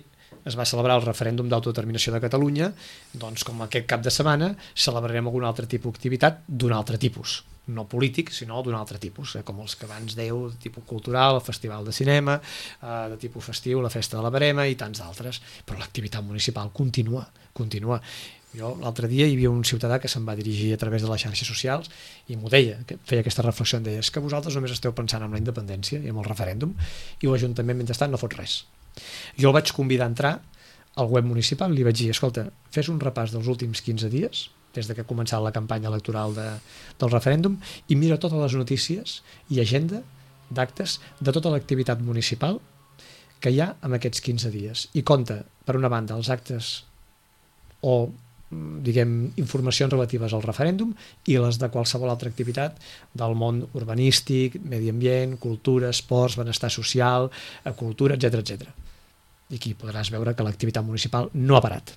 es va celebrar el referèndum d'autodeterminació de Catalunya, doncs com aquest cap de setmana celebrarem algun altre tipus d'activitat d'un altre tipus, no polític, sinó d'un altre tipus, eh, com els que abans dèieu, de tipus cultural, el festival de cinema, eh, de tipus festiu, la festa de la Verema i tants d'altres, però l'activitat municipal continua, continua. Jo l'altre dia hi havia un ciutadà que se'n va dirigir a través de les xarxes socials i m'ho deia, que feia aquesta reflexió, em deia, és que vosaltres només esteu pensant en la independència i en el referèndum i l'Ajuntament mentrestant no fot res. Jo el vaig convidar a entrar al web municipal i li vaig dir, escolta, fes un repàs dels últims quinze dies, des de que ha començat la campanya electoral de, del referèndum, i mira totes les notícies i agenda d'actes de tota l'activitat municipal que hi ha en aquests quinze dies. I compta, per una banda, els actes o diguem, informacions relatives al referèndum i les de qualsevol altra activitat del món urbanístic, medi ambient, cultura, esports, benestar social, cultura, etcètera, etcètera. I aquí podràs veure que l'activitat municipal no ha parat,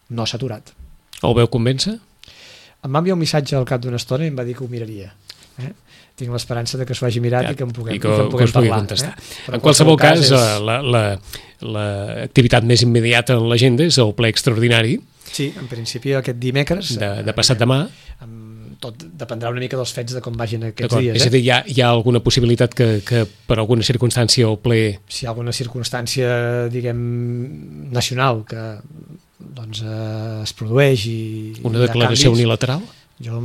no s'ha aturat. El veu convèncer? Em va enviar un missatge al cap d'una estona i em va dir que ho miraria. Eh? Tinc l'esperança de que s'ho hagi mirat ja, i que en puguem, i que, que en puguem que parlar. Eh? En qualsevol cas, cas és... l'activitat la, la, més immediata en l'agenda és el ple extraordinari. Sí, en principi aquest dimecres. De, de passat demà. Tot dependrà una mica dels fets de com vagin aquests dies. És a dir, hi ha, hi ha alguna possibilitat que, que per alguna circumstància el ple... Si hi ha alguna circumstància, diguem, nacional que doncs, eh, es produeix i... Una declaració canvis, unilateral? Jo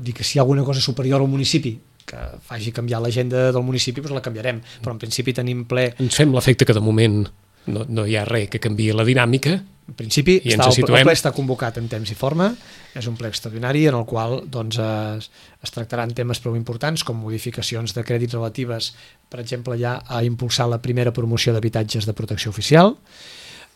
dic que si hi ha alguna cosa superior al municipi que faci canviar l'agenda del municipi, doncs la canviarem, però en principi tenim ple... Ens fem l'efecte que de moment no, no hi ha res que canviï la dinàmica. En principi està, el, el ple està convocat en temps i forma, és un ple extraordinari en el qual doncs, es, es tractaran temes prou importants com modificacions de crèdits relatives, per exemple, ja a impulsar la primera promoció d'habitatges de protecció oficial.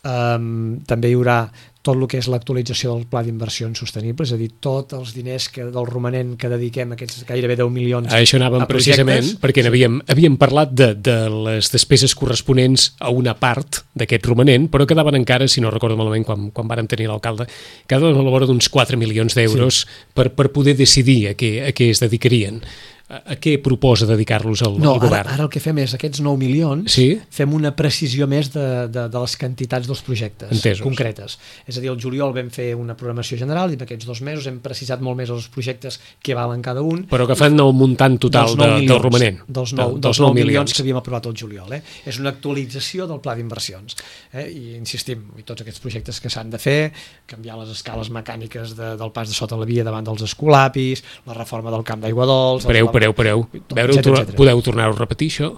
Um, també hi haurà tot el que és l'actualització del pla d'inversions sostenibles, és a dir, tots els diners que, del romanent que dediquem, aquests gairebé deu milions a això anàvem precisament, perquè havíem, havíem parlat de, de les despeses corresponents a una part d'aquest romanent, però quedaven encara, si no recordo malament, quan, quan vàrem tenir l'alcalde, quedaven a la vora d'uns quatre milions d'euros sí. per, per poder decidir a què, a què es dedicarien. A què proposa dedicar-los al, no, al govern? Ara, ara el que fem és, aquests nou milions, sí? fem una precisió més de, de, de les quantitats dels projectes Entesos. concretes. És a dir, el juliol vam fer una programació general i en aquests dos mesos hem precisat molt més els projectes que valen cada un. Però agafant el muntant total de, milions, del romanent. Dels nou, dels dels nou milions, milions que havíem aprovat el juliol. Eh? És una actualització del pla d'inversions. Eh? I insistim, i tots aquests projectes que s'han de fer, canviar les escales mecàniques de, del pas de sota la via davant dels escolapis, la reforma del camp d'aigua dolç... Pareu, pareu, pareu. Veure, etcètera, etcètera. Podeu tornar-ho a repetir, això?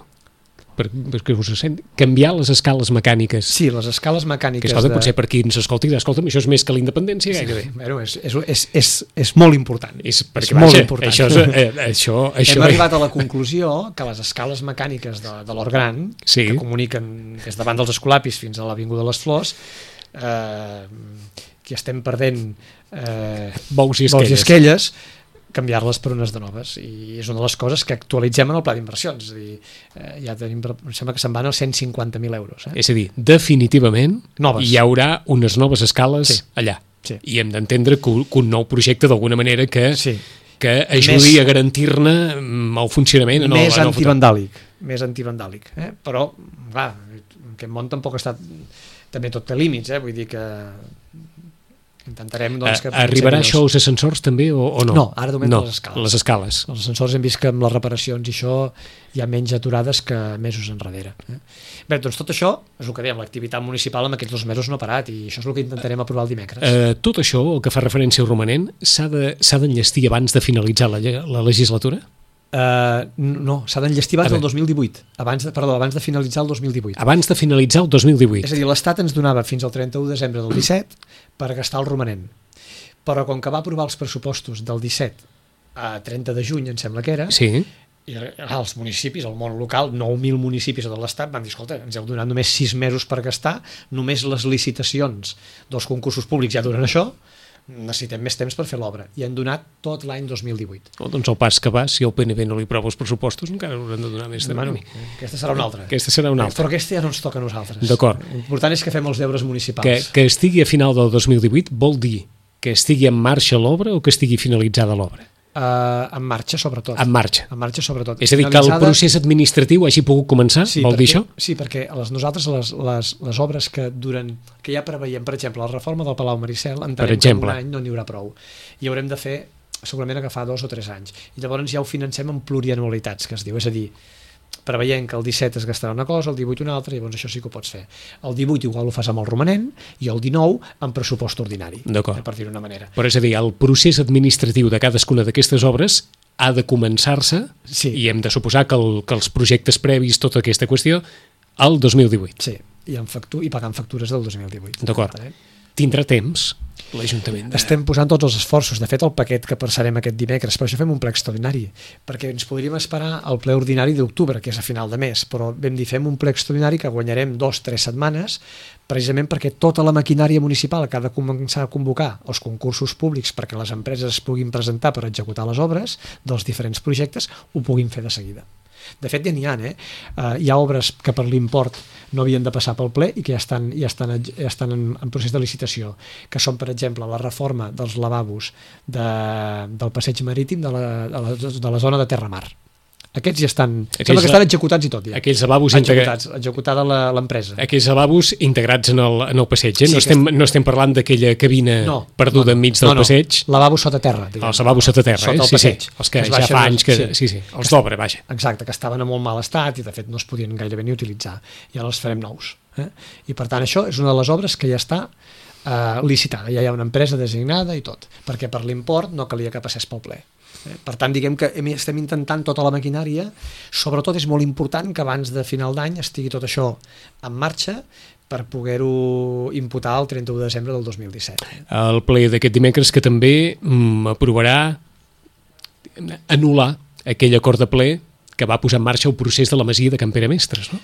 Per, perquè us sent... Canviar les escales mecàniques. Sí, les escales mecàniques... Que escolta, de... potser per qui ens escolti, escolta'm, això és més que la independència, gairebé. Sí, bueno, és, és, és, és, és molt important. És, perquè, és molt vaja, important. Això, és, eh, això, això... Hem arribat a la conclusió que les escales mecàniques de, de l'Hort Gran, sí. que comuniquen des davant dels Escolapis fins a l'Avinguda de les Flors, eh, que estem perdent eh, bous i esquelles, bous i esquelles canviar-les per unes de noves, i és una de les coses que actualitzem en el pla d'inversions. És a dir, eh, ja tenim, em sembla que se'n van als cent cinquanta mil euros. Eh? És a dir, definitivament noves. Hi haurà unes noves escales sí. allà. Sí. I hem d'entendre que, que un nou projecte, d'alguna manera, que, sí. que ajudi més, a garantir-ne el funcionament en el, més en el antivandàlic, més antivandàlic, eh? Però, clar, aquest món tampoc ha estat, també tot té límits, eh? Vull dir que intentarem, doncs, que... Arribarà això als ascensors també o, o no? No, ara de moment no, les escales. Les escales. Els ascensors hem vist que amb les reparacions i això hi ha menys aturades que mesos enrere. Eh? Bé, doncs tot això és el que dèiem, l'activitat municipal en aquests dos mesos no ha parat i això és el que intentarem aprovar el dimecres. Uh, tot això, el que fa referència al romanent, s'ha d'enllestir de, abans de finalitzar la, la legislatura? Uh, no, s'ha d'enllestir abans del dos mil divuit, abans de, perdó, abans de finalitzar el dos mil divuit. Abans de finalitzar el dos mil divuit. És a dir, l'Estat ens donava fins al trenta-u de desembre del disset per gastar el romanent. Però com que va aprovar els pressupostos del disset a trenta de juny, em sembla que era, sí. I els municipis, el món local, nou mil municipis de l'Estat van dir, escolta, ens heu donat només sis mesos per gastar, només les licitacions dels concursos públics ja duren això, necessitem més temps per fer l'obra, i han donat tot l'any dos mil divuit. Oh, doncs el pas que va, si el P N B no li prova els pressupostos, encara hauran de donar més de bueno, aquesta serà una altra. Aquesta serà una altra. Però aquesta ja no ens toca a nosaltres. D'acord. L'important és que fem els deures municipals. Que, que estigui a final del dos mil divuit vol dir que estigui en marxa l'obra o que estigui finalitzada l'obra? Uh, en marxa, sobretot. En marxa. En marxa, sobretot. És a dir, que el procés administratiu hagi pogut començar, sí, vol perquè, dir això? Sí, perquè les, nosaltres les, les, les obres que duren, que ja preveiem, per exemple, la reforma del Palau Maricel, entenem que en un any no n'hi haurà prou. I haurem de fer, segurament, agafar dos o tres anys. I llavors ja ho financem en plurianualitats, que es diu. És a dir, preveient que el disset es gastarà una cosa, el divuit una altra, i llavors això sí que ho pots fer. El divuit igual ho fas amb el romanent i el dinou amb pressupost ordinari, d'acord, per dir-ho d'una manera. Però és a dir, el procés administratiu de cadascuna d'aquestes obres ha de començar-se, sí, i hem de suposar que, el, que els projectes previs, tota aquesta qüestió, al dos mil divuit. Sí, i, en factu i pagant factures del dos mil divuit. D'acord. Tindrà temps l'Ajuntament de... Estem posant tots els esforços. De fet, el paquet que passarem aquest dimecres, per això fem un ple extraordinari, perquè ens podríem esperar al ple ordinari d'octubre, que és a final de mes, però vam dir, fem un ple extraordinari que guanyarem dos, tres setmanes, precisament perquè tota la maquinària municipal que ha de començar a convocar els concursos públics perquè les empreses es puguin presentar per executar les obres dels diferents projectes, ho puguin fer de seguida. De fet, ja n'hi ha, eh? Uh, hi ha obres que per l'import no havien de passar pel ple i que ja estan, ja estan, ja estan en, en procés de licitació, que són, per exemple, la reforma dels lavabos de, del passeig marítim de la, de la, de la zona de Terramar. Aquests ja estan, aquells, sembla que estan executats i tot ja. Aquells lavabos executats, executada l'empresa. Aquells lavabos integrats en el, en el passeig, eh? Sí, no, estem, no estem parlant d'aquella cabina no, perduda no, no. enmig del no, no. passeig. Lavabos sota terra. Diguem. Els lavabos sota terra, sota eh? el passeig. Sí, sí. Els que, que ja fa anys que... Sí, sí, sí. els d'obra, vaja. Exacte, que estaven en molt mal estat i de fet no es podien gairebé ni utilitzar. I ara els farem nous. Eh? I per tant això és una de les obres que ja està eh, licitada, ja hi ha una empresa designada i tot, perquè per l'import no calia que passés pel ple. Per tant, diguem que estem intentant tota la maquinària, sobretot és molt important que abans de final d'any estigui tot això en marxa per poder-ho imputar el trenta-u de desembre del dos mil disset. El ple d'aquest dimecres que també mm, aprovarà anul·lar aquell acord de ple que va posar en marxa el procés de la masia de Can Pere Mestres, no?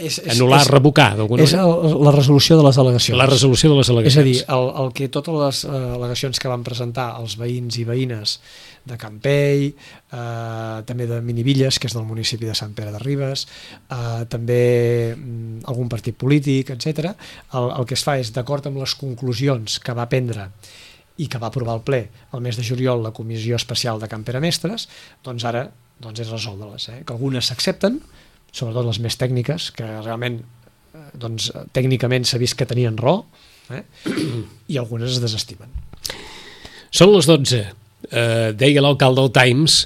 És, és, anul·lar, és, revocar d'alguna manera? És el, la resolució de les al·legacions. La resolució de les al·legacions. És a dir, el, el que totes les al·legacions que van presentar els veïns i veïnes de Campell, eh, també de Minivilles, que és del municipi de Sant Pere de Ribes, eh, també mm, algun partit polític, etcètera. El, el que es fa és, d'acord amb les conclusions que va prendre i que va aprovar el ple el mes de juliol la Comissió Especial de Can Pere Mestres, doncs ara doncs és resoldre-les, eh? Que algunes s'accepten, sobretot les més tècniques, que realment doncs, tècnicament s'ha vist que tenien raó, eh? I algunes es desestimen. Són les dotze. Eh, deia l'alcalde del Times,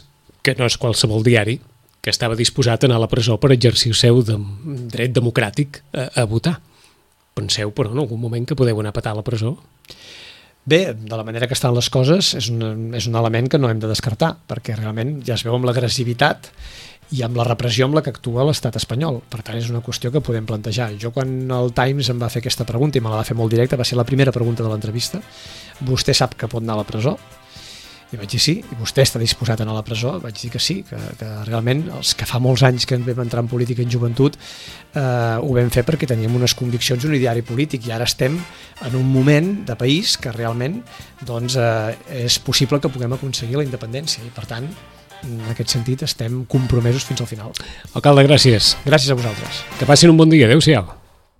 que no és qualsevol diari, que estava disposat a anar a la presó per exercir el seu de, dret democràtic a, a votar. Penseu, però, en algun moment que podeu anar a petar a la presó? Bé, de la manera que estan les coses, és un, és un element que no hem de descartar, perquè realment ja es veu amb l'agressivitat i amb la repressió amb la que actua l'estat espanyol. Per tant, és una qüestió que podem plantejar. Jo, quan el Times em va fer aquesta pregunta, i me la va fer molt directa, va ser la primera pregunta de l'entrevista: vostè sap que pot anar a la presó? I vaig dir sí. I vostè està disposat a anar a la presó? Vaig dir que sí, que, que realment els que fa molts anys que vam entrar en política en joventut eh, ho vam fer perquè teníem unes conviccions i un ideari polític, i ara estem en un moment de país que realment doncs, eh, és possible que puguem aconseguir la independència, i per tant en aquest sentit estem compromesos fins al final. Alcalde, gràcies. Gràcies a vosaltres. Que passin un bon dia. Adéu-siau.